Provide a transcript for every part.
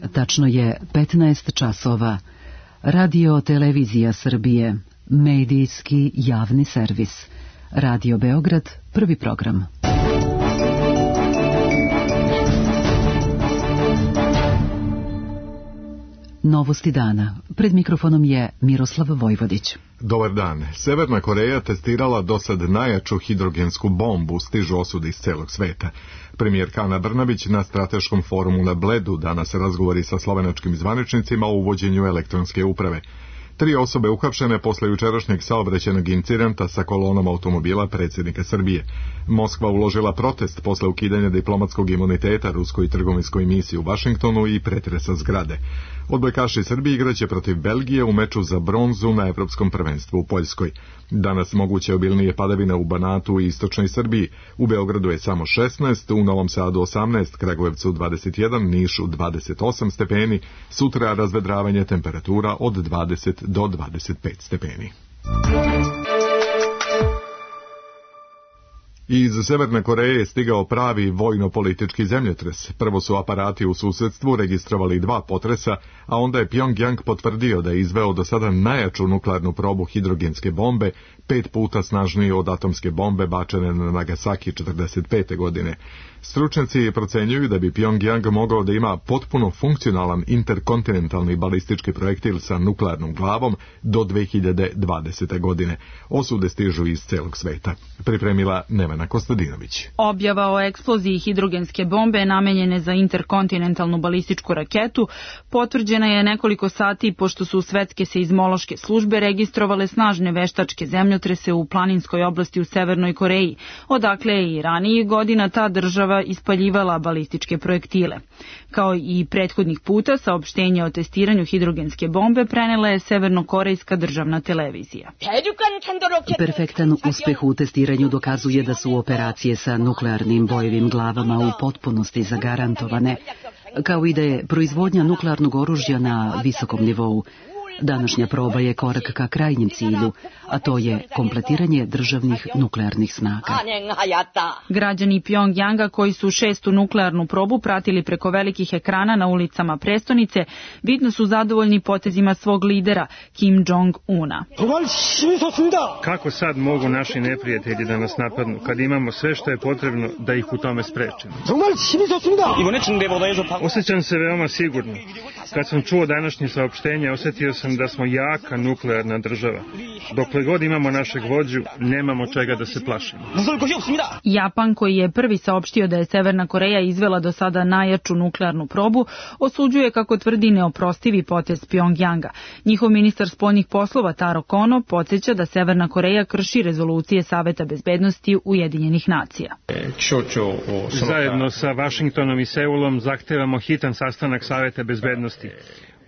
tačno je 15 časova. Radio Televizija Srbije, medijski javni servis. Radio Beograd, prvi program. Novosti dana. Pred mikrofonom je Miroslav Vojvodić. Dobar dan. Severna Koreja testirala do sad najjaču hidrogensku bombu, stižu osude iz celog sveta. Premijerka Ana Brnabić na strateškom forumu na Bledu danas razgovori sa slovenačkim zvaničnicima o uvođenju elektronske uprave. 3 osobe uhapšene posle jučerašnjeg saobraćajnog incidenta sa kolonom automobila predsjednika Srbije. Moskva uložila protest posle ukidanja diplomatskog imuniteta ruskoj trgovinskoj misiji u Vašingtonu i pretresa zgrade. Odbojkaši Srbije igraće protiv Belgije u meču za bronzu na Evropskom prvenstvu u Poljskoj. Danas moguće obilnije padavine u Banatu i istočnoj Srbiji. U Beogradu je samo 16, u Novom Sadu 18, Kragujevcu 21, Nišu 28 stepeni. Sutra razvedravanje, temperatura od 20 do 25 stepeni. Iz Severne Koreje je stigao pravi vojno-politički zemljotres. Prvo su aparati u susedstvu registrovali 2 potresa, a onda je Pjongjang potvrdio da je izveo do sada najjaču nuklearnu probu hidrogenske bombe, 5 puta snažnije od atomske bombe bačene na Nagasaki 1945. godine. Stručnjaci procenjuju da bi Pjongjang mogao da ima potpuno funkcionalan interkontinentalni balistički projektil sa nuklearnom glavom do 2020. godine. Osude stižu iz celog sveta. Pripremila Nevena Kostadinović. Objava o eksploziji hidrogenske bombe namenjene za interkontinentalnu balističku raketu potvrđena je nekoliko sati pošto su svetske seizmološke službe registrovale snažne veštačke zemljotrese u planinskoj oblasti u Severnoj Koreji, odakle je i ranijih godina ta država ispaljivala balističke projektile. Kao i prethodnih puta, saopštenje o testiranju hidrogenske bombe prenela je severnokorejska državna televizija. Perfektan uspeh u testiranju dokazuje da su operacije sa nuklearnim bojevim glavama u potpunosti zagarantovane, kao i da je proizvodnja nuklearnog oružja na visokom nivou. Današnja proba je korak ka krajnjem cilju, a to je kompletiranje državnih nuklearnih snaga. Građani Pjongjanga koji su 6. nuklearnu probu pratili preko velikih ekrana na ulicama prestonice, vidno su zadovoljni potezima svog lidera, Kim Jong-una. Kako sad mogu naši neprijatelji da nas napadnu, kad imamo sve što je potrebno da ih u tome sprečimo? Osjećam se veoma sigurno. Kad sam čuo današnje saopštenje, osjetio sam da smo jaka nuklearna država. Dokle god imamo našeg vođu, nemamo čega da se plašimo. Japan, koji je prvi saopštio da je Severna Koreja izvela do sada najjaču nuklearnu probu, osuđuje, kako tvrdi, neoprostivi potez Pjongjanga. Njihov ministar spoljnih poslova Taro Kono podsjeća da Severna Koreja krši rezolucije Saveta bezbednosti Ujedinjenih nacija. Zajedno sa Vašingtonom i Seulom zahtevamo hitan sastanak Saveta bezbednosti.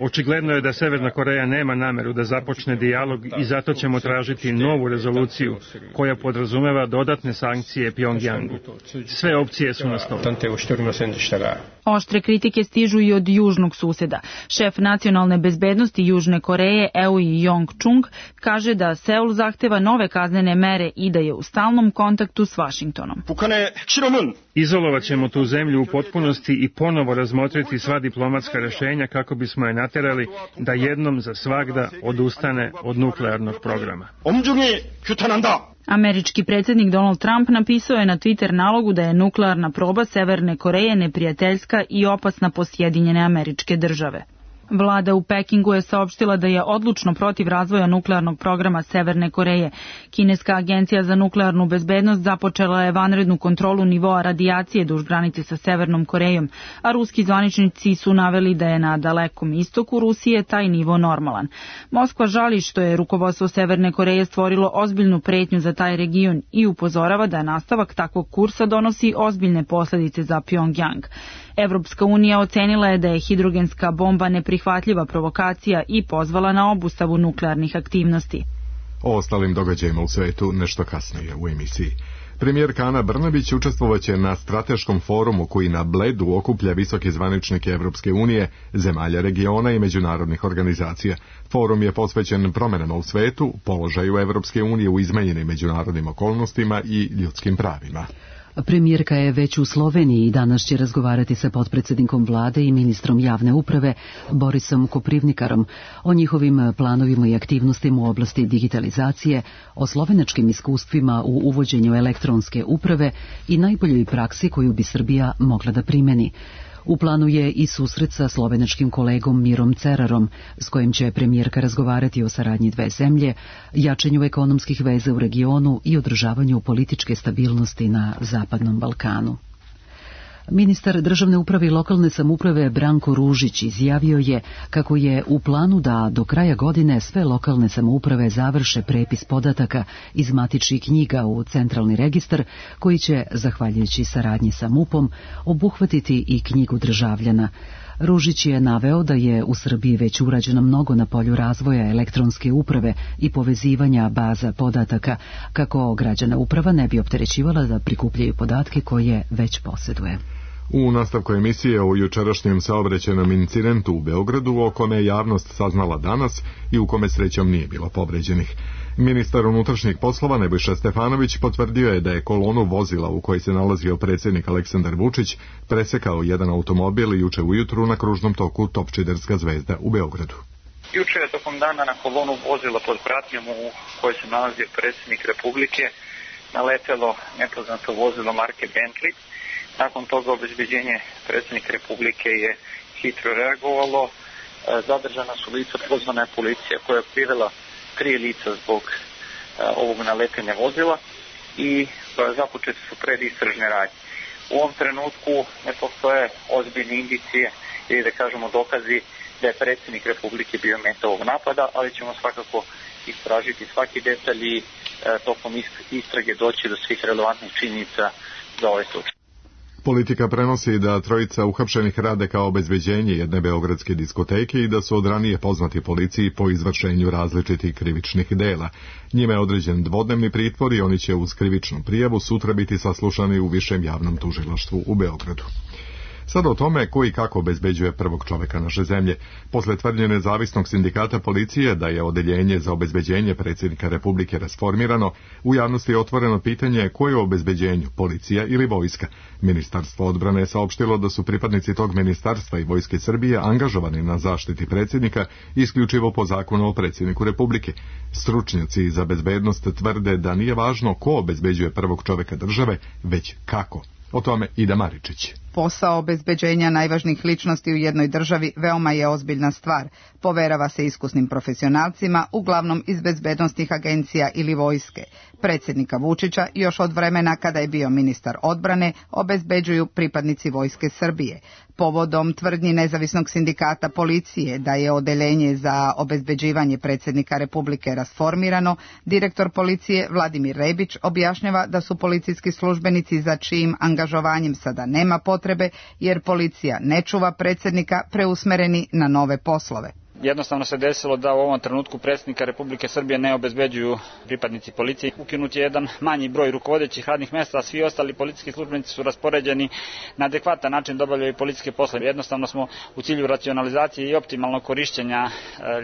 Očigledno je da Severna Koreja nema nameru da započne dijalog i zato ćemo tražiti novu rezoluciju koja podrazumeva dodatne sankcije Pjongjangu. Sve opcije su na stolu. Oštre kritike stižu i od južnog suseda. Šef nacionalne bezbednosti Južne Koreje, Eui Yong-chung, kaže da Seul zahteva nove kaznene mere i da je u stalnom kontaktu s Vašingtonom. Izolovat ćemo tu zemlju u potpunosti i ponovo razmotriti sva diplomatska rešenja kako bismo je naterali da jednom za svagda odustane od nuklearnog programa. Američki predsjednik Donald Trump napisao je na Twitter nalogu da je nuklearna proba Severne Koreje neprijateljska i opasna po Sjedinjene Američke Države. Vlada u Pekingu je saopštila da je odlučno protiv razvoja nuklearnog programa Severne Koreje. Kineska agencija za nuklearnu bezbednost započela je vanrednu kontrolu nivoa radijacije duž granice sa Severnom Korejom, a ruski zvaničnici su naveli da je na Dalekom istoku Rusije taj nivo normalan. Moskva žali što je rukovodstvo Severne Koreje stvorilo ozbiljnu pretnju za taj region i upozorava da nastavak takvog kursa donosi ozbiljne posljedice za Pjongjang. Evropska unija ocenila je da je hidrogenska bomba neprihvatljiva provokacija i pozvala na obustavu nuklearnih aktivnosti. O ostalim događajima u svetu nešto kasnije u emisiji. Premijerka Ana Brnabić učestvovaće na strateškom forumu koji na Bledu okuplja visoke zvaničnike Evropske unije, zemalja regiona i međunarodnih organizacija. Forum je posvećen promjenama u svetu, položaju Evropske unije u izmenjenim međunarodnim okolnostima i ljudskim pravima. Premijerka je već u Sloveniji i danas će razgovarati sa potpredsjednikom vlade i ministrom javne uprave Borisom Koprivnikarom o njihovim planovima i aktivnostima u oblasti digitalizacije, o slovenačkim iskustvima u uvođenju elektronske uprave i najboljoj praksi koju bi Srbija mogla da primeni. U planu je i susret sa slovenačkim kolegom Mirom Cerarom, s kojim će premijerka razgovarati o saradnji dve zemlje, jačanju ekonomskih veza u regionu i održavanju političke stabilnosti na Zapadnom Balkanu. Ministar državne uprave i lokalne samouprave Branko Ružić izjavio je kako je u planu da do kraja godine sve lokalne samouprave završe prepis podataka iz matičnih knjiga u centralni registar, koji će, zahvaljujući saradnji sa MUP-om, obuhvatiti i knjigu državljana. Ružić je naveo da je u Srbiji već urađeno mnogo na polju razvoja elektronske uprave i povezivanja baza podataka, kako građana uprava ne bi opterećivala da prikupljaju podatke koje već posjeduje. U nastavku emisije o jučerašnjem saobraćajnom incidentu u Beogradu, o kome je javnost saznala danas i u kome srećom nije bilo povređenih. Ministar unutrašnjih poslova Nebojša Stefanović potvrdio je da je kolonu vozila u kojoj se nalazio predsjednik Aleksandar Vučić presekao jedan automobil juče ujutru na kružnom toku Topčiderska Zvezda u Beogradu. Juče je tokom dana na kolonu vozila pod pratnjom u kojoj se nalazio predsjednik Republike naletelo nepoznato vozilo marke Bentley. Nakon toga obezbeđenje predsjednika Republike je hitro reagovalo. Zadržana su lica, pozvana je policija koja je privela 3 lica zbog ovog naletenja vozila i započete su predistražne radnje. U ovom trenutku ne postoje ozbiljne indicije ili da kažemo dokazi da je predsjednik Republike bio meta ovog napada, ali ćemo svakako istražiti svaki detalj i tokom istrage doći do svih relevantnih činjenica za ovaj slučaj. Politika prenosi da trojica uhapšenih rade kao obezbeđenje jedne beogradske diskoteke i da su od ranije poznati policiji po izvršenju različitih krivičnih dela. Njime je određen dvodnevni pritvor i oni će uz krivičnu prijavu sutra biti saslušani u Višem javnom tužilaštvu u Beogradu. Sada o tome ko i kako obezbeđuje prvog čoveka naše zemlje. Posle tvrdnje nezavisnog sindikata policije da je odeljenje za obezbeđenje predsjednika Republike rasformirano, u javnosti je otvoreno pitanje ko je u obezbeđenju, policija ili vojska. Ministarstvo odbrane je saopštilo da su pripadnici tog ministarstva i Vojske Srbije angažovani na zaštiti predsjednika isključivo po zakonu o predsjedniku Republike. Stručnjaci za bezbednost tvrde da nije važno ko obezbeđuje prvog čoveka države, već kako. O tome Ida Maričić. Posao obezbeđenja najvažnijih ličnosti u jednoj državi veoma je ozbiljna stvar. Poverava se iskusnim profesionalcima, uglavnom iz bezbednosnih agencija ili vojske. Predsjednika Vučića još od vremena kada je bio ministar odbrane obezbeđuju pripadnici Vojske Srbije. Povodom tvrdnji nezavisnog sindikata policije da je odeljenje za obezbeđivanje predsjednika Republike rasformirano, direktor policije Vladimir Rebić objašnjava da su policijski službenici za čijim angažovanjem sada nema potrebe, jer policija ne čuva predsjednika, preusmereni na nove poslove. Jednostavno se desilo da u ovom trenutku predsjednika Republike Srbije ne obezbeđuju pripadnici policije. Ukinut je jedan manji broj rukovodećih radnih mjesta, a svi ostali policijski službenici su raspoređeni na adekvatan način da obavljaju policijske poslove. Jednostavno smo u cilju racionalizacije i optimalnog korišćenja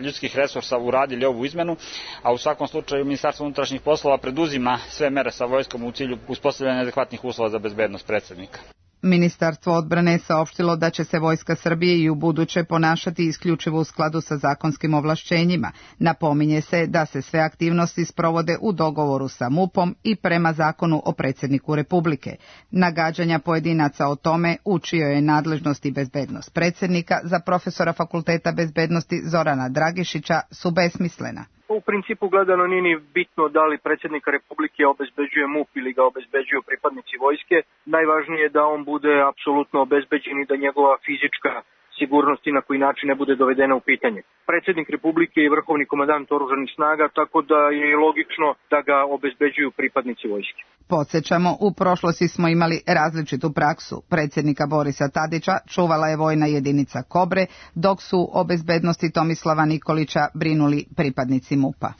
ljudskih resursa uradili ovu izmenu, a u svakom slučaju Ministarstvo unutrašnjih poslova preduzima sve mere sa vojskom u cilju uspostavljanja adekvatnih uslova za bezbednost predsjednika. Ministarstvo odbrane je saopštilo da će se Vojska Srbije i u buduće ponašati isključivo u skladu sa zakonskim ovlašćenjima. Napominje se da se sve aktivnosti sprovode u dogovoru sa MUP-om i prema zakonu o predsjedniku Republike. Nagađanja pojedinaca o tome u čijoj je nadležnosti bezbednost predsjednika za profesora Fakulteta bezbednosti Zorana Dragišića su besmislena. U principu gledano nije ni bitno da li predsjednika Republike obezbeđuje MUP ili ga obezbeđuju pripadnici vojske. Najvažnije je da on bude apsolutno obezbeđen i da njegova fizička sigurnost i na koji način ne bude dovedena u pitanje. Predsjednik Republike je vrhovni komandant oružanih snaga, tako da je logično da ga obezbeđuju pripadnici vojske. Podsjećamo, u prošlosti smo imali različitu praksu. Predsjednika Borisa Tadića čuvala je vojna jedinica Kobre, dok su o bezbednosti Tomislava Nikolića brinuli pripadnici MUP-a.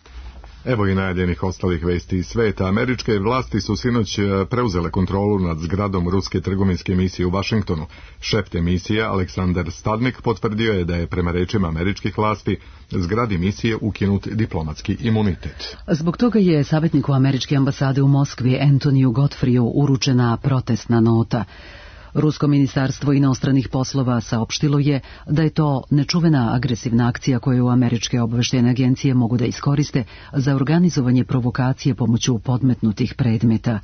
Evo i najavljenih ostalih vesti iz sveta. Američke vlasti su sinoć preuzele kontrolu nad zgradom ruske trgovinske misije u Vašingtonu. Šef te misije, Aleksandar Stadnik, potvrdio je da je prema rečima američkih vlasti zgradi misije ukinut diplomatski imunitet. Zbog toga je savjetniku američke ambasade u Moskvi Antoniju Godfreyu uručena protestna nota. Rusko ministarstvo inostranih poslova saopštilo je da je to nečuvena agresivna akcija koju američke obaveštajne agencije mogu da iskoriste za organizovanje provokacije pomoću podmetnutih predmeta.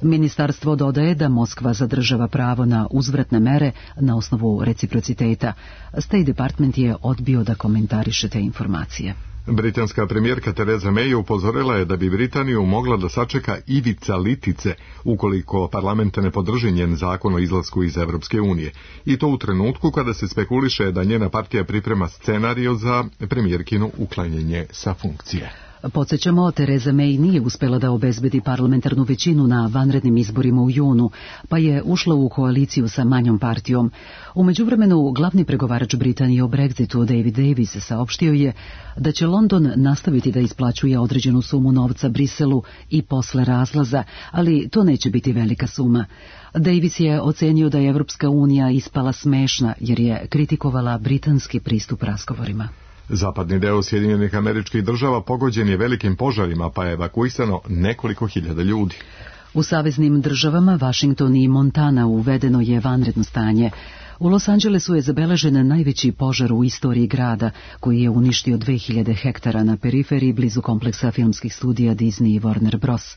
Ministarstvo dodaje da Moskva zadržava pravo na uzvratne mere na osnovu reciprociteta. State Department je odbio da komentariše te informacije. Britanska premijerka Theresa May upozorila je da bi Britaniju mogla da sačeka ivica litice ukoliko parlament ne podrži njen zakon o izlasku iz Evropske unije. I to u trenutku kada se spekuliše da njena partija priprema scenario za premijerkino uklanjanje sa funkcije. Podsjećamo, Theresa May nije uspela da obezbedi parlamentarnu većinu na vanrednim izborima u junu, pa je ušla u koaliciju sa manjom partijom. U međuvremenu, glavni pregovarač Britanije o Brexitu, David Davis, saopštio je da će London nastaviti da isplaćuje određenu sumu novca Briselu i posle razlaza, ali to neće biti velika suma. Davis je ocenio da je Evropska unija ispala smešna jer je kritikovala britanski pristup razgovorima. Zapadni deo Sjedinjenih Američkih Država pogođen je velikim požarima, pa je evakuisano nekoliko hiljada ljudi. U saveznim državama Washington i Montana uvedeno je vanredno stanje. U Los Angelesu je zabeležen najveći požar u istoriji grada, koji je uništio 2000 hektara na periferiji blizu kompleksa filmskih studija Disney i Warner Bros.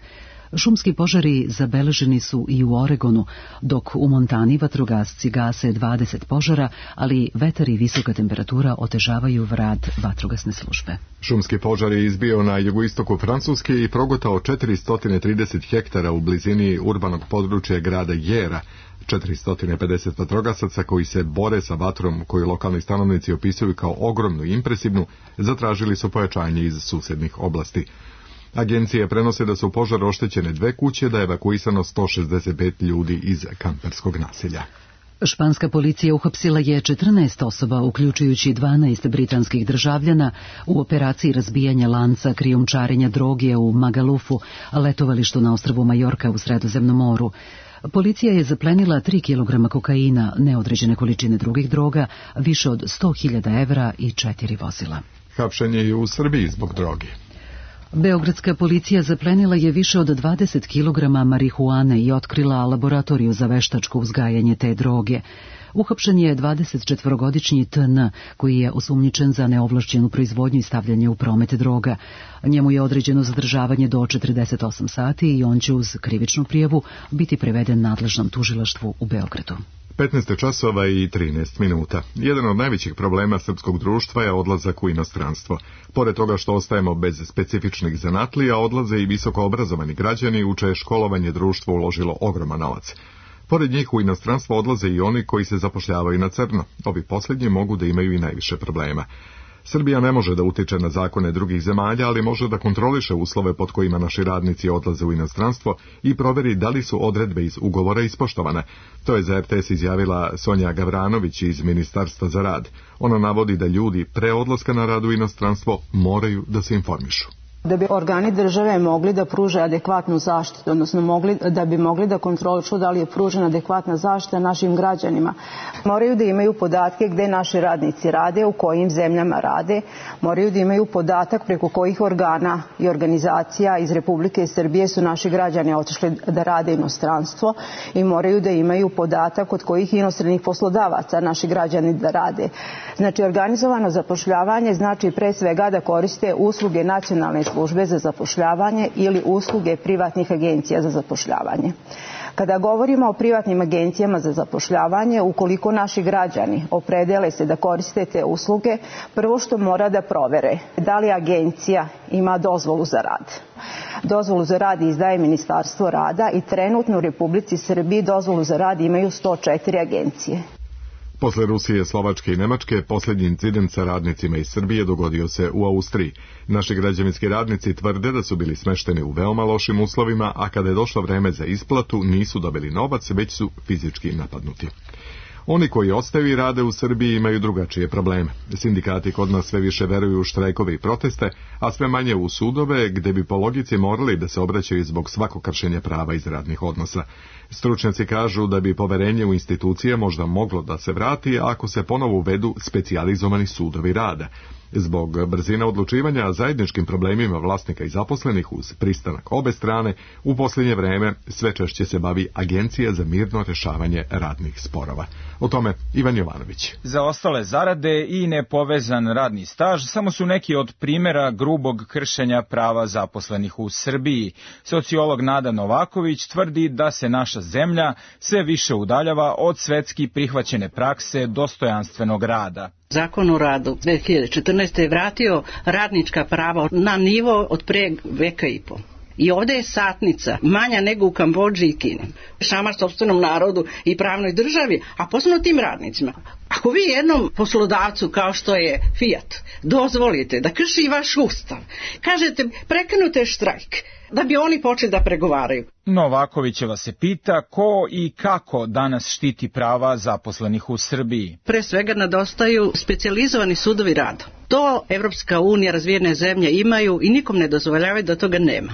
Šumski požari zabeleženi su i u Oregonu, dok u Montani vatrogasci gase 20 požara, ali vetar i visoka temperatura otežavaju rad vatrogasne službe. Šumski požar je izbio na jugoistoku Francuske i progutao 430 hektara u blizini urbanog područja grada Jera. 450 vatrogasaca koji se bore sa vatrom, koju lokalni stanovnici opisuju kao ogromnu i impresivnu, zatražili su pojačanje iz susednih oblasti. Agencije prenose da su u požaru oštećene 2 kuće, da je evakuisano 165 ljudi iz kamperskog naselja. Španska policija uhapsila je 14 osoba, uključujući 12 britanskih državljana, u operaciji razbijanja lanca krijumčarenja droge u Magalufu, letovalištu na ostrvu Majorka u Sredozemnom moru. Policija je zaplenila 3 kg kokaina, neodređene količine drugih droga, više od 100.000 evra i 4 vozila. Hapšenje je u Srbiji zbog droge. Beogradska policija zaplenila je više od 20 kg marihuane i otkrila laboratoriju za veštačko uzgajanje te droge. Uhapšen je 24-godišnji TN, koji je osumnjičen za neovlašćenu proizvodnju i stavljanje u promet droga. Njemu je određeno zadržavanje do 48 sati i on će uz krivičnu prijavu biti preveden nadležnom tužilaštvu u Beogradu. 15 časova i 13 minuta. Jedan od najvećih problema srpskog društva je odlazak u inostranstvo. Pored toga što ostajemo bez specifičnih zanatlija, odlaze i visoko obrazovani građani u čije školovanje društvo uložilo ogroman novac. Pored njih u inostranstvo odlaze i oni koji se zapošljavaju na crno. Ovi posljednji mogu da imaju i najviše problema. Srbija ne može da utiče na zakone drugih zemalja, ali može da kontroliše uslove pod kojima naši radnici odlaze u inostranstvo i proveri da li su odredbe iz ugovora ispoštovane. To je za RTS izjavila Sonja Gavranović iz Ministarstva za rad. Ona navodi da ljudi pre odlaska na rad u inostranstvo moraju da se informišu. Da bi organi države mogli da pruže adekvatnu zaštitu, odnosno da bi mogli da kontrolišu da li je pružena adekvatna zaštita našim građanima, moraju da imaju podatke gde naši radnici rade, u kojim zemljama rade, moraju da imaju podatak preko kojih organa i organizacija iz Republike Srbije su naši građani otišli da rade inostranstvo i moraju da imaju podatak od kojih inostranih poslodavaca naši građani da rade. Znači, organizovano zapošljavanje znači pre svega da koriste usluge nacionalne službe za zapošljavanje ili usluge privatnih agencija za zapošljavanje. Kada govorimo o privatnim agencijama za zapošljavanje, ukoliko naši građani opredele se da koriste te usluge, prvo što mora da provere da li agencija ima dozvolu za rad. Dozvolu za rad izdaje Ministarstvo rada i trenutno u Republici Srbiji dozvolu za rad imaju 104 agencije. Posle Rusije, Slovačke i Nemačke, posljednji incident sa radnicima iz Srbije dogodio se u Austriji. Naši građevinski radnici tvrde da su bili smešteni u veoma lošim uslovima, a kada je došlo vreme za isplatu, nisu dobili novac, već su fizički napadnuti. Oni koji ostaju i rade u Srbiji imaju drugačije probleme. Sindikati kod nas sve više veruju u štrajkove i proteste, a sve manje u sudove, gde bi po logici morali da se obraćaju zbog svakog kršenja prava iz radnih odnosa. Stručnjaci kažu da bi poverenje u institucije možda moglo da se vrati ako se ponovo uvedu specijalizovani sudovi rada. Zbog brzine odlučivanja zajedničkim problemima vlasnika i zaposlenih uz pristanak obe strane, u posljednje vreme sve češće se bavi Agencija za mirno rešavanje radnih sporova. O tome Ivan Jovanović. Za ostale zarade i nepovezan radni staž samo su neki od primjera grubog kršenja prava zaposlenih u Srbiji. Sociolog Nada Novaković tvrdi da se naša zemlja sve više udaljava od svetski prihvaćene prakse dostojanstvenog rada. Zakon o radu 2014. je vratio radnička prava na nivo od pre veka i po. I ovdje je satnica manja nego u Kambodži i Kini. Šamar sopstvenom narodu i pravnoj državi, a posebno tim radnicima. Ako vi jednom poslodavcu kao što je Fiat dozvolite da krši vaš ustav, kažete prekinute štrajk, da bi oni počeli da pregovaraju. Novakovićeva se pita ko i kako danas štiti prava zaposlenih u Srbiji. Pre svega nedostaju specijalizovani sudovi rada. To Evropska unija, razvijene zemlje imaju i nikom ne dozvoljavaju da toga nema.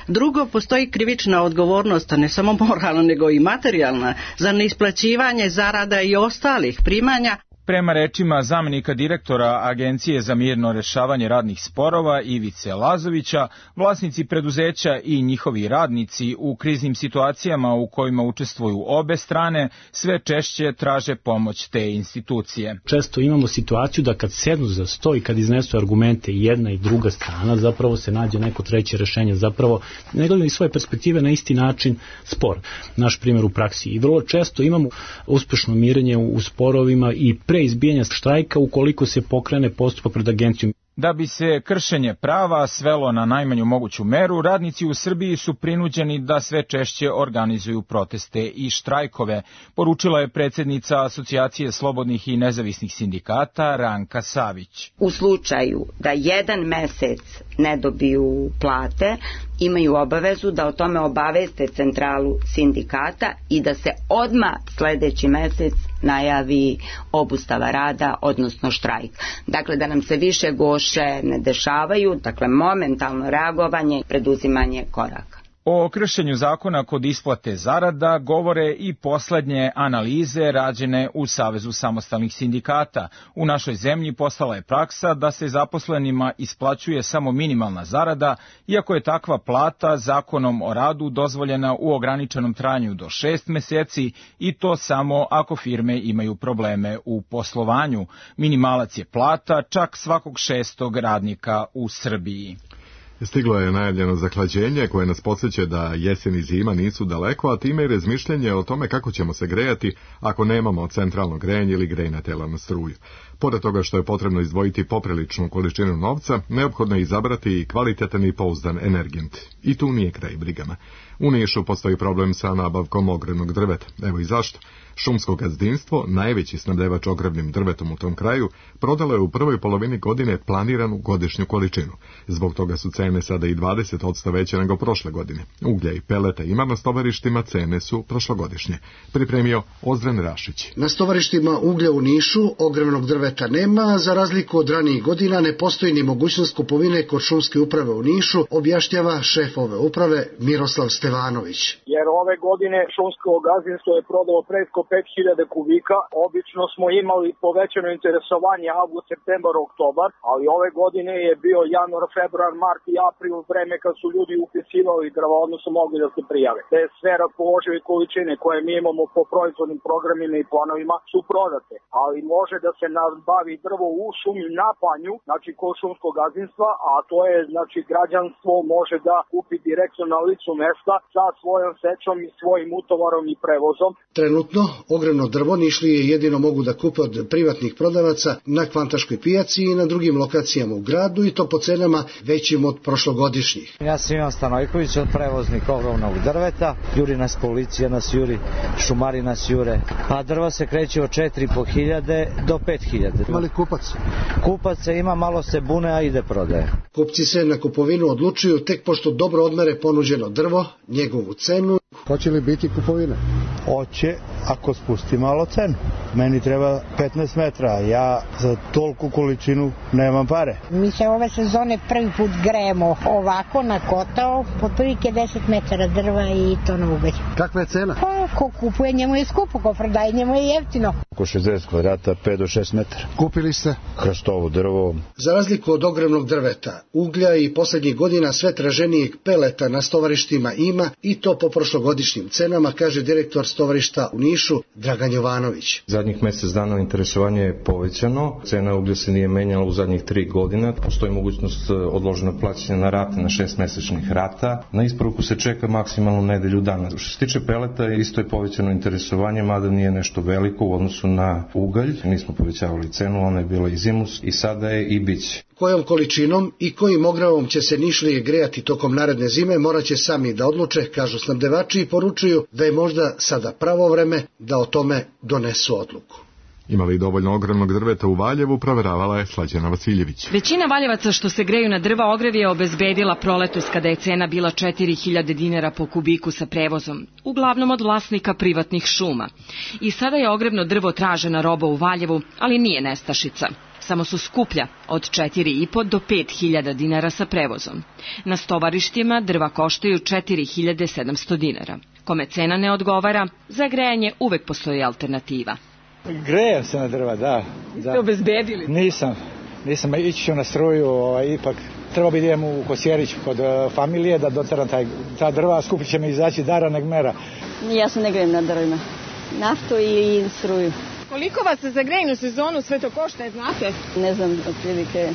Drugo, postoji krivična odgovornost, ne samo moralna nego i materijalna, za neisplaćivanje zarada i ostalih primanja. Prema rečima zamenika direktora Agencije za mirno rešavanje radnih sporova Ivice Lazovića, vlasnici preduzeća i njihovi radnici u kriznim situacijama u kojima učestvuju obe strane sve češće traže pomoć te institucije. Često imamo situaciju da kad sednu za sto i kad iznesu argumente i jedna i druga strana, zapravo se nađe neko treće rešenje, zapravo ne gledaju iz svoje perspektive na isti način spor. Naš primjer u praksi. I vrlo često imamo uspešno mirenje u sporovima i pre izbijanja štrajka ukoliko se pokrene postupak pred agencijom. Da bi se kršenje prava svelo na najmanju moguću meru, radnici u Srbiji su prinuđeni da sve češće organizuju proteste i štrajkove, poručila je predsjednica Asocijacije slobodnih i nezavisnih sindikata Ranka Savić. U slučaju da jedan mesec ne dobiju plate, imaju obavezu da o tome obaveste centralu sindikata i da se odmah sljedeći mesec najavi obustava rada, odnosno štrajk. Dakle, da nam se više goše ne dešavaju, dakle momentalno reagovanje i preduzimanje koraka. O kršenju zakona kod isplate zarada govore i poslednje analize rađene u Savezu samostalnih sindikata. U našoj zemlji postala je praksa da se zaposlenima isplaćuje samo minimalna zarada, iako je takva plata zakonom o radu dozvoljena u ograničenom trajanju do 6 meseci i to samo ako firme imaju probleme u poslovanju. Minimalac je plata čak svakog 6. radnika u Srbiji. Stiglo je najavljeno zahlađenje koje nas podsjeća da jesen i zima nisu daleko, a time i razmišljanje o tome kako ćemo se grejati ako nemamo centralno grejanje ili grejna tela na struju. Pored toga što je potrebno izdvojiti popriličnu količinu novca, neophodno je izabrati i kvalitetan i pouzdan energent. I tu nije kraj brigama. U Nišu postoji problem sa nabavkom ogrevnog drveta. Evo i zašto. Šumsko gazdinstvo, najveći snabdevač ogrevnim drvetom u tom kraju, prodalo je u prvoj polovini godine planiranu godišnju količinu. Zbog toga su cene sada i 20% veće nego prošle godine. Uglja i peleta ima na stovarištima, cene su prošlogodišnje. Pripremio Ozren Rašić. Na stovarištima uglja u Nišu ogrevnog drveta nema, za razliku od ranijih godina ne postoji ni mogućnost kupovine kod šumske uprave u Nišu, objašnjava šef ove uprave Miroslav Stevanović. Jer ove godine šumsko gazdinstvo je prodalo preko 5000 kubika. Obično smo imali povećano interesovanje avgust, septembar, oktobar, ali ove godine je bio januar, februar, mart i april, vreme kad su ljudi upisivali drva, odnosno mogli da se prijave. Te sve raspoložive količine koje mi imamo po proizvodnim programima i planovima su prodate, ali može da se nabavi drvo u šumi na panju, znači kod šumskog gazdinstva, a to je, znači, građanstvo može da kupi direktno na licu mesta sa svojom sečom i svojim utovarom i prevozom. Trenutno ogrevno drvo Nišlije jedino mogu da kupe od privatnih prodavaca na Kvantaškoj pijaci i na drugim lokacijama u gradu i to po cenama većim od prošlogodišnjih. Ja sam Ivan Stanojković, od prevoznik ogrevnog drveta. Juri nas policija, nas juri, šumari nas jure. A drva se kreće od 4.500 do 5.000. Ima li kupac? Kupaca ima, malo se bune, a ide prodaje. Kupci se na kupovinu odlučuju tek pošto dobro odmere ponuđeno drvo, njegovu cenu. Hoće li biti kupovine? Hoće, ako spusti malo cenu. Meni treba 15 metra, ja za tolku količinu nemam pare. Mi se ove sezone prvi put grejemo ovako na kotao, otprilike 10 metara drva i to na ugalj. Kakva je cena? Pa, ko kupuje njemu je skupo, ko prodaje njemu je jeftino. Oko 60 kvadrata, 5 do 6 metara. Kupili ste? Hrastovo drvo. Za razliku od ogromnog drveta, uglja i poslednjih godina sve traženijeg peleta na stovarištima ima i to po prošlogodišnjim cenama, kaže direktor stovarišta u Nišu Dragan Jovanović. Zadnjih mjesec dana interesovanje je povećano, cena uglja se nije menjala u zadnjih 3 godine, postoji mogućnost odloženog plaćanja na rate, na 6 mesečnih rata, na isporuku se čeka maksimalno nedelju dana. Što se tiče peleta, isto je povećano interesovanje, mada nije nešto veliko u odnosu na ugalj, nismo povećavali cenu, ona je bila i zimus i sada je i biće. Kojom količinom i kojim ogravom će se Nišlije grejati tokom naredne zime morat će sami da odluče, kažu snabdevači i poručuju da je možda sada pravo vreme da o tome donesu odluku. Ima li dovoljno ogromnog drveta u Valjevu, proveravala je Slađana Vasiljević. Većina valjevaca što se greju na drva ogrev je obezbedila proletos kada je cena bila 4000 dinara po kubiku sa prevozom, uglavnom od vlasnika privatnih šuma. I sada je ogrevno drvo tražena roba u Valjevu, ali nije nestašica. Samo su skuplja, od 4,5 do 5.000 dinara sa prevozom. Na stovarištima drva koštaju 4.700 dinara. Kome cena ne odgovara, za grejanje uvek postoji alternativa. Grejem se na drva, da. Ste obezbedili? Nisam, ići ću na struju, ipak treba bi idem u Kosjerić kod familije da doteram ta drva, skupit će mi izaći dara neg mera. Ja se ne grejem na drvima, naftu ili struju. Koliko vas za grejnu sezonu sve to košta, znate? Ne znam, otprilike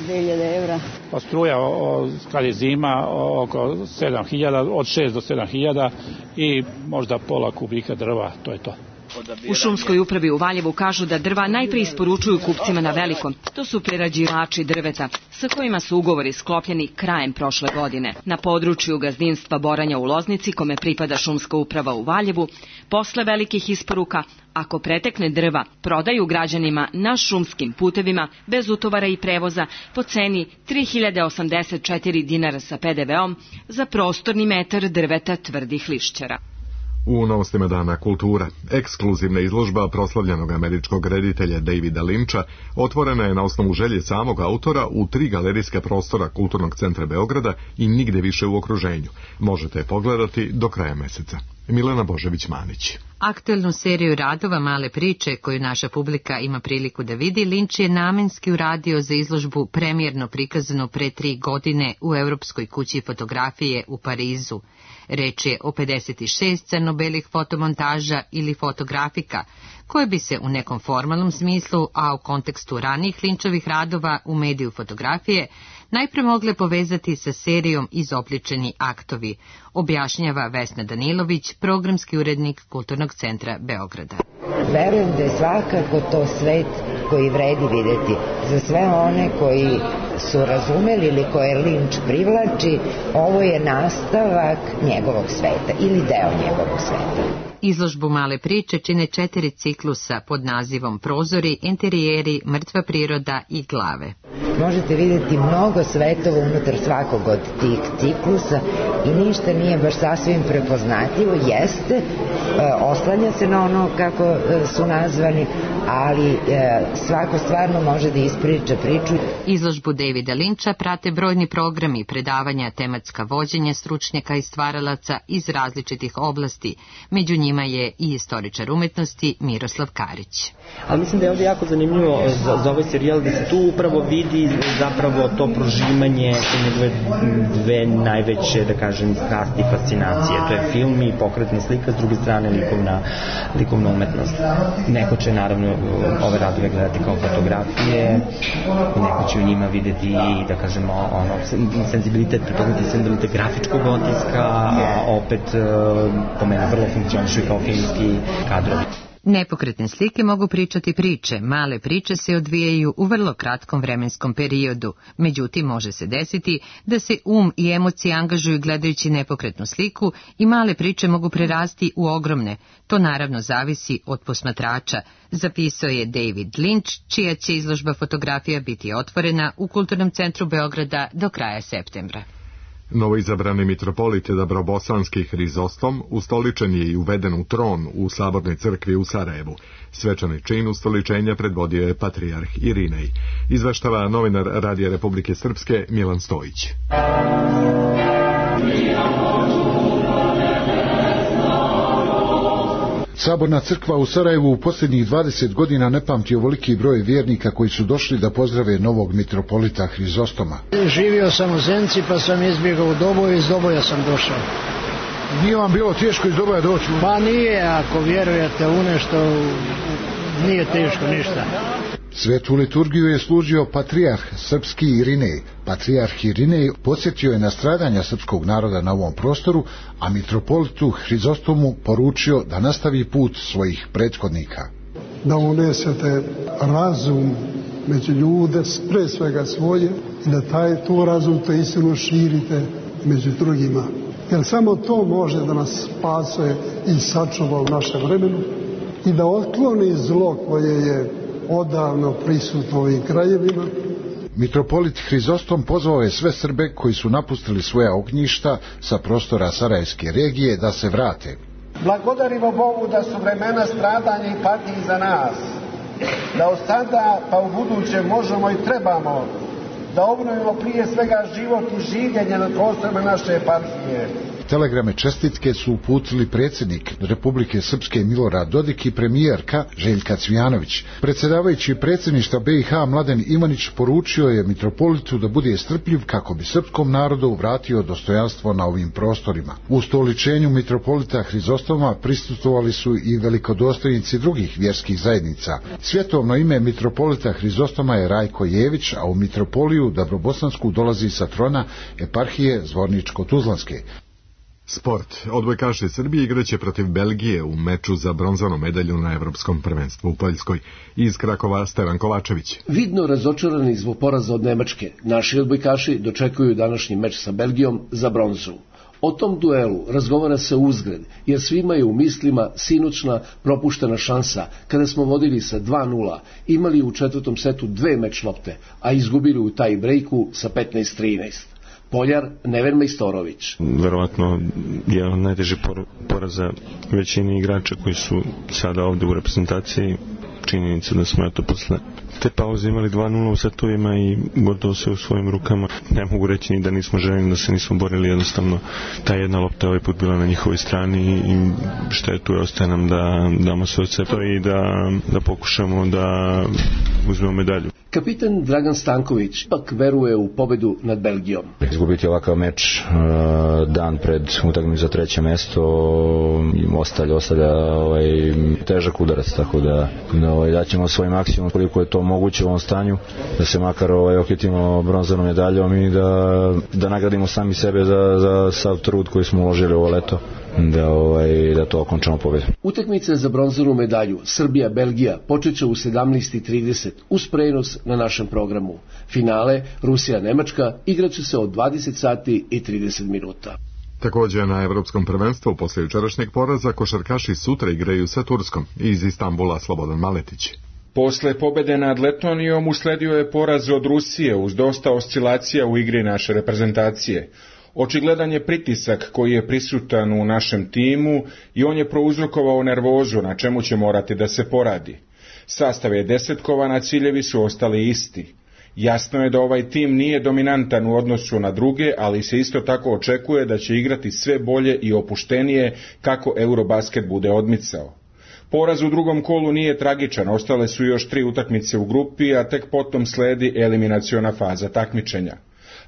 2000 evra. Pa struja, kad je zima, oko 7.000, od 6 do 7.000 i možda pola kubika drva, to je to. U šumskoj upravi u Valjevu kažu da drva najprije isporučuju kupcima na veliko. To su prerađivači drveta, sa kojima su ugovori sklopljeni krajem prošle godine. Na području gazdinstva Boranja u Loznici, kome pripada šumska uprava u Valjevu, posle velikih isporuka, ako pretekne drva, prodaju građanima na šumskim putevima, bez utovara i prevoza, po ceni 3084 dinara sa PDV-om za prostorni metar drveta tvrdih lišćara. U novostima Dana kultura, ekskluzivna izložba proslavljenog američkog reditelja Davida Lyncha otvorena je na osnovu želje samog autora u 3 galerijska prostora Kulturnog centra Beograda i nigde više u okruženju. Možete je pogledati do kraja meseca. Milena Božević-Manić. Aktuelnu seriju radova Male priče, koju naša publika ima priliku da vidi, Lynch je namenski uradio za izložbu premijerno prikazano pre 3 godine u Europskoj kući fotografije u Parizu. Reč je o 56 crno-belih fotomontaža ili fotografika, koje bi se u nekom formalnom smislu, a u kontekstu ranijih Lynchovih radova u mediju fotografije, najpre mogle povezati sa serijom Izobličeni aktovi, objašnjava Vesna Danilović, programski urednik Kulturnog centra Beograda. Verujem da je svakako to svet koji vredi videti. Za sve one koji su razumeli ili koje Lynch privlači, ovo je nastavak njegovog sveta ili deo njegovog sveta. Izložbu Male priče čine 4 ciklusa pod nazivom Prozori, interijeri, mrtva priroda i glave. Možete vidjeti mnogo svetova unutar svakog od tih ciklusa i ništa nije baš sasvim prepoznatljivo, jeste, oslanja se na ono kako su nazvani, ali svako stvarno može da ispriča priču. Izložbu Davida Lyncha prate brojni programi, predavanja, tematska vođenja stručnjaka i stvaralaca iz različitih oblasti. Među njima je i istoričar umetnosti Miroslav Karić. Ali mislim da je ovdje jako zanimljivo za ovaj serijal da se tu upravo vidi zapravo to prožimanje njegove dve najveće, da kažem, strasti i fascinacije. To je film i pokretna slika, s druge strane likovna umetnost. Neko će naravno ove radove gledati kao fotografije, neko će u njima vidjeti i, da kažemo, senzibilitet, prepoznati senzibilitet grafičkog otiska, a opet po mene vrlo funkcionišu kao filmski kadrovi. Nepokretne slike mogu pričati priče, male priče se odvijaju u vrlo kratkom vremenskom periodu, međutim može se desiti da se i emocije angažuju gledajući nepokretnu sliku i male priče mogu prerasti u ogromne. To naravno zavisi od posmatrača, zapisao je David Lynch, čija će izložba fotografija biti otvorena u Kulturnom centru Beograda do kraja septembra. Novoizabrani mitropolit Dabrobosanski Hrizostom ustoličen je i uveden u tron u Sabornoj crkvi u Sarajevu. Svečani čin ustoličenja predvodio je patrijarh Irinej. Izveštava novinar Radija Republike Srpske Milan Stojić. Saborna crkva u Sarajevu u posljednjih 20 godina ne pamti ovoliki broj vjernika koji su došli da pozdrave novog mitropolita Hrizostoma. Živio sam u Zenci pa sam izbjegao u Doboj i iz Doboja sam došao. Nije vam bilo teško iz Doboja doći? Pa nije, ako vjerujete u nešto, nije teško ništa. Svetu liturgiju je služio patrijarh srpski Irinej. Patrijarh Irinej podsjetio je na stradanja srpskog naroda na ovom prostoru, a mitropolitu Hrizostomu poručio da nastavi put svojih prethodnika. Da unesete razum među ljude, pre svega svoje, i da tu razum, to istinu širite među drugima. Jer samo to može da nas spase i sačuva u našem vremenu i da otkloni zlo koje je odavno prisutno u ovim krajevima. Mitropolit Hrizostom pozvao je sve Srbe koji su napustili svoja ognjišta sa prostora Sarajevske regije da se vrate. Blagodarimo Bogu da su vremena stradanja i patnje iza nas, da od sada pa u buduće možemo i trebamo da obnovimo prije svega život i življenje na prostorima naše eparhije. Telegrame čestitke su uputili predsjednik Republike Srpske Milorad Dodik i premijerka Željka Cvijanović. Predsjedavajući predsjedništva BiH Mladen Ivanić poručio je mitropolitu da bude strpljiv kako bi srpskom narodu vratio dostojanstvo na ovim prostorima. U ustoličenju mitropolita Hrizostoma prisustvovali su i velikodostojnici drugih vjerskih zajednica. Svjetovno ime mitropolita Hrizostoma je Rajko Jević, a u mitropoliju Dabrobosansku dolazi sa trona eparhije Zvorničko-Tuzlanske. Sport. Odbojkaši Srbije igraće protiv Belgije u meču za bronzanu medalju na Evropskom prvenstvu u Poljskoj. Iz Krakova Stevan Kovačević. Vidno razočarani zbog poraza od Nemačke, naši odbojkaši dočekuju današnji meč sa Belgijom za bronzu. O tom duelu razgovara se uzgred, jer svima je u mislima sinoćna propuštena šansa kada smo vodili sa 2:0, imali u četvrtom setu 2 meč lopte, a izgubili u taj brejku sa 15-13. Poljar Neven Majstorović. Verovatno je on najteži poraza većini igrača koji su sada ovde u reprezentaciji. Činjenica da smo posle te pauze imali 2:0 u setovima i gotovo sve u svojim rukama. Ne mogu reći ni da nismo željeli, da se nismo borili, jednostavno ta jedna lopta ovaj put bila na njihovoj strani i šta je tu, ostaje nam da damo sve od sebe i da pokušamo da uzmemo medalju. Kapitan Dragan Stanković ipak veruje u pobedu nad Belgijom. Izgubiti ovakav meč dan pred utakmicu za 3. mesto ostavlja težak udarac, tako da daćemo svoj maksimum koliko je to moguće u ovom stanju, da se makar okitimo bronzanom medaljom i da nagradimo sami sebe za sav trud koji smo uložili ovo leto, da to okončamo pobedom. Utakmica za bronzanu medalju Srbija-Belgija počeće u 17:30 uz prenos na našem programu. Finale Rusija-Nemačka igraće se od 20:30. Također na Evropskom prvenstvu posle jučerašnjeg poraza košarkaši sutra igraju sa Turskom. Iz Istambula Slobodan Maletić. Posle pobede nad Letonijom usledio je poraz od Rusije uz dosta oscilacija u igri naše reprezentacije. Očigledan je pritisak koji je prisutan u našem timu i on je prouzrokovao nervozu na čemu će morati da se poradi. Sastav je desetkovan, a ciljevi su ostali isti. Jasno je da ovaj tim nije dominantan u odnosu na druge, ali se isto tako očekuje da će igrati sve bolje i opuštenije kako Eurobasket bude odmicao. Poraz u drugom kolu nije tragičan, ostale su još 3 utakmice u grupi, a tek potom sledi eliminaciona faza takmičenja.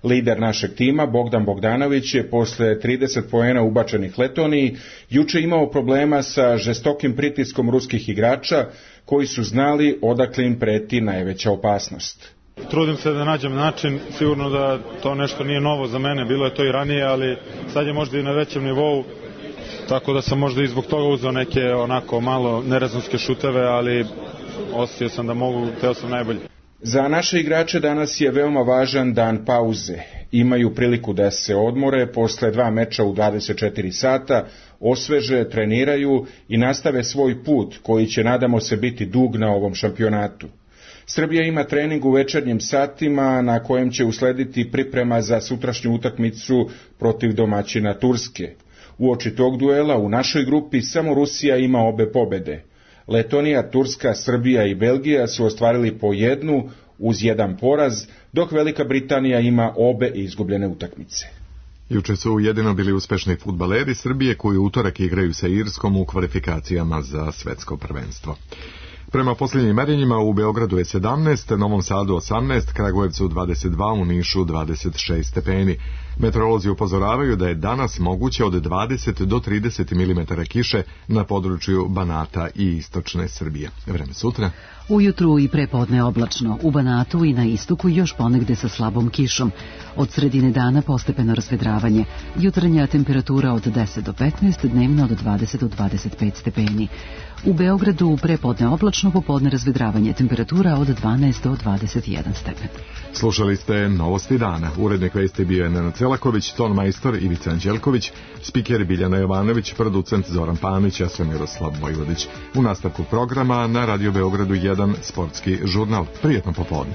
Lider našeg tima, Bogdan Bogdanović, je posle 30 poena ubačenih Letoniji juče imao problema sa žestokim pritiskom ruskih igrača koji su znali odakle im preti najveća opasnost. Trudim se da nađem način, sigurno da to nešto nije novo za mene, bilo je to i ranije, ali sad je možda i na većem nivou, tako da sam možda i zbog toga uzeo neke onako malo nerezonske šuteve, ali osjetio sam da mogu, teo sam najbolje. Za naše igrače danas je veoma važan dan pauze. Imaju priliku da se odmore posle 2 meča u 24 sata, osveže, treniraju i nastave svoj put koji će, nadamo se, biti dug na ovom šampionatu. Srbija ima trening u večernjim satima na kojem će uslediti priprema za sutrašnju utakmicu protiv domaćina Turske. Uoči tog duela u našoj grupi samo Rusija ima obe pobede. Letonija, Turska, Srbija i Belgija su ostvarili po jednu uz jedan poraz, dok Velika Britanija ima obe izgubljene utakmice. Juče su jedino bili uspešni fudbaleri Srbije koji u utorak igraju sa Irskom u kvalifikacijama za svetsko prvenstvo. Prema posljednjim merenjima u Beogradu je 17, Novom Sadu 18, Kragujevcu 22, u Nišu 26 stepeni. Meteorolozi upozoravaju da je danas moguće od 20 do 30 mm kiše na području Banata i istočne Srbije. Vreme sutra. Ujutru i prepodne oblačno, u Banatu i na istoku još ponegde sa slabom kišom. Od sredine dana postepeno razvedravanje. Jutarnja temperatura od 10 do 15, dnevna od 20 do 25 stepeni. U Beogradu prepodne oblačno, popodne razvedravanje, temperatura od 12 do 21 stepen. Slušali ste Novosti dana. Urednik vesti bio je Nenad Selaković, ton majstor Ivica Anđelković, spiker Biljana Jovanović, producent Zoran Panić, ja sam Miroslav Vojvodić. U nastavku programa na Radio Beogradu 1 sportski žurnal. Prijetno popodne.